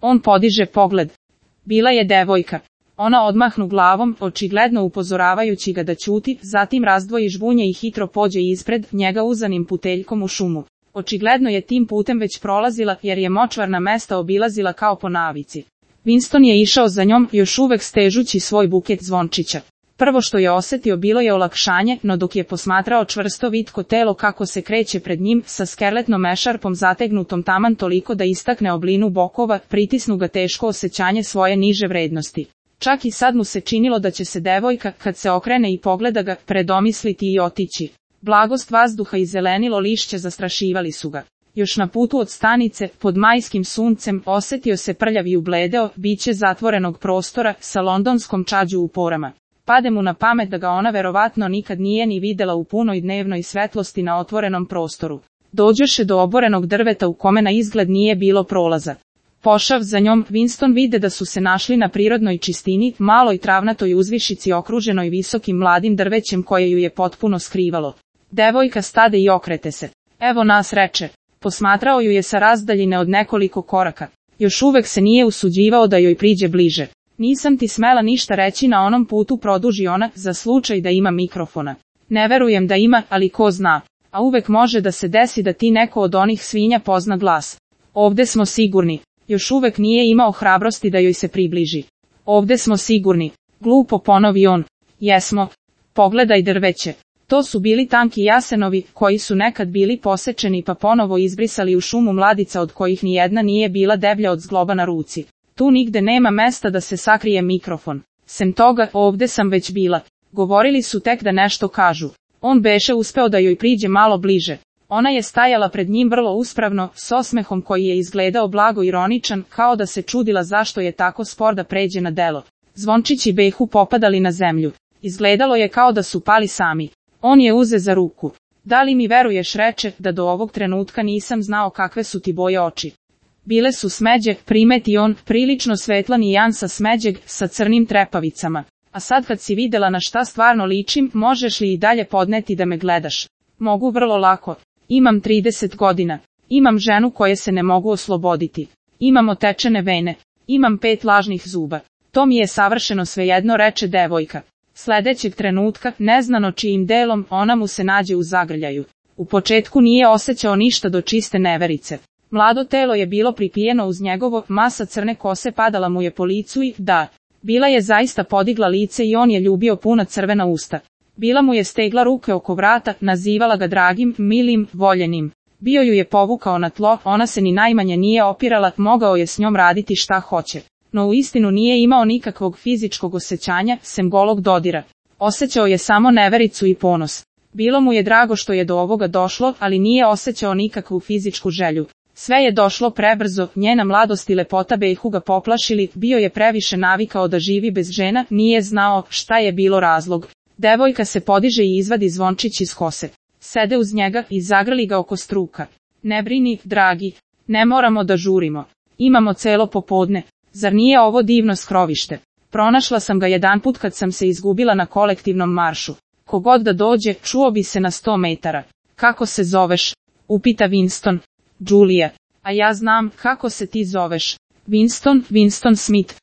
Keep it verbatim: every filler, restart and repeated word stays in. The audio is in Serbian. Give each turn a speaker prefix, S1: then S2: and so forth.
S1: On podiže pogled. Bila je devojka. Ona odmahnu glavom, očigledno upozoravajući ga da ćuti, zatim razdvoji žvunje i hitro pođe ispred njega uzanim puteljkom u šumu. Očigledno je tim putem već prolazila, jer je močvarna mesta obilazila kao po navici. Winston je išao za njom, još uvek stežući svoj buket zvončića. Prvo što je osetio bilo je olakšanje, no dok je posmatrao čvrsto vitko telo kako se kreće pred njim, sa skeletnom mešarpom zategnutom taman toliko da istakne oblinu bokova, pritisnu ga teško osjećanje svoje niže vrednosti. Čak i sad mu se činilo da će se devojka, kad se okrene i pogleda ga, predomisliti i otići. Blagost vazduha i zelenilo lišće zastrašivali su ga. Još na putu od stanice, pod majskim suncem, osjetio se prljav i ubledeo, biće zatvorenog prostora, sa londonskom čađu u porama. Pade mu na pamet da ga ona verovatno nikad nije ni videla u punoj dnevnoj svetlosti na otvorenom prostoru. Dođoše do oborenog drveta u kome na izgled nije bilo prolaza. Pošav za njom, Winston vide da su se našli na prirodnoj čistini, maloj travnatoj uzvišici okruženoj visokim mladim drvećem koje ju je potpuno skrivalo. Devojka stade i okrete se. Evo nas, reče. Posmatrao ju je sa razdaljine od nekoliko koraka. Još uvek se nije usuđivao da joj priđe bliže. Nisam ti smela ništa reći na onom putu, produži ona, za slučaj da ima mikrofona. Ne verujem da ima, ali ko zna. A uvek može da se desi da ti neko od onih svinja pozna glas. Ovde smo sigurni. Još uvek nije imao hrabrosti da joj se približi. Ovde smo sigurni. Glupo ponovi on. Jesmo. Pogledaj drveće. To su bili tanki jasenovi, koji su nekad bili posečeni pa ponovo izbrisali u šumu mladica od kojih nijedna nije bila deblja od zgloba na ruci. Tu nigde nema mesta da se sakrije mikrofon. Sem toga, ovde sam već bila. Govorili su tek da nešto kažu. On beše uspeo da joj priđe malo bliže. Ona je stajala pred njim vrlo uspravno, s osmehom koji je izgledao blago ironičan, kao da se čudila zašto je tako spor da pređe na delo. Zvončići behu popadali na zemlju. Izgledalo je kao da su pali sami. On je uze za ruku. Da li mi veruješ, reče, da do ovog trenutka nisam znao kakve su ti boje oči. Bile su smeđe, primeti on, prilično svetla nijansa smeđeg, sa crnim trepavicama. A sad kad si videla na šta stvarno ličim, možeš li i dalje podneti da me gledaš? Mogu vrlo lako. Imam trideset godina. Imam ženu koje se ne mogu osloboditi. Imam otečene vene. Imam pet lažnih zuba. To mi je savršeno svejedno, reče devojka. Sledećeg trenutka, neznano čijim delom, ona mu se nađe u zagrljaju. U početku nije osjećao ništa do čiste neverice. Mlado telo je bilo pripijeno uz njegovo, masa crne kose padala mu je po licu i, da, bila je zaista podigla lice i on je ljubio puna crvena usta. Bila mu je stegla ruke oko vrata, nazivala ga dragim, milim, voljenim. Bio ju je povukao na tlo, ona se ni najmanje nije opirala, mogao je s njom raditi šta hoće. No uistinu nije imao nikakvog fizičkog osjećanja, sem golog dodira. Osjećao je samo nevericu i ponos. Bilo mu je drago što je do ovoga došlo, ali nije osjećao nikakvu fizičku želju. Sve je došlo prebrzo, njena mladost i lepota behu ga poplašili, bio je previše navikao da živi bez žena, nije znao šta je bilo razlog. Devojka se podiže i izvadi zvončić iz kose. Sede uz njega i zagrli ga oko struka. Ne brini, dragi. Ne moramo da žurimo. Imamo celo popodne. Zar nije ovo divno skrovište? Pronašla sam ga jedanput kad sam se izgubila na kolektivnom maršu. Kogod da dođe, čuo bi se na sto metara. Kako se zoveš? Upita Winston. Julia. A ja znam kako se ti zoveš. Winston, Winston Smith.